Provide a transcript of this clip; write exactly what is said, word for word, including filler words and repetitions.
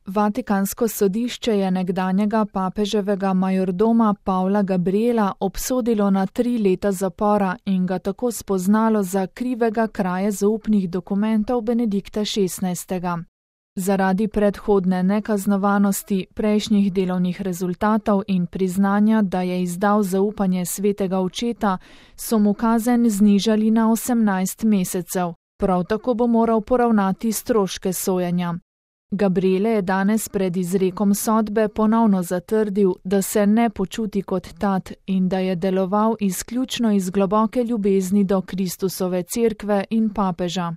Vatikansko sodišče je nekdanjega papeževega majordoma Pavla Gabriela obsodilo na tri leta zapora in ga tako spoznalo za krivega kraje zaupnih dokumentov Benedikta šestnajstega. Zaradi predhodne nekaznovanosti, prejšnjih delovnih rezultatov in priznanja, da je izdal zaupanje svetega očeta, so mu kazen znižali na osemnajst mesecev. Prav tako bo moral poravnati stroške sojenja. Gabriele je danes pred izrekom sodbe ponovno zatrdil, da se ne počuti kot tat in da je deloval izključno iz globoke ljubezni do Kristusove cerkve in papeža.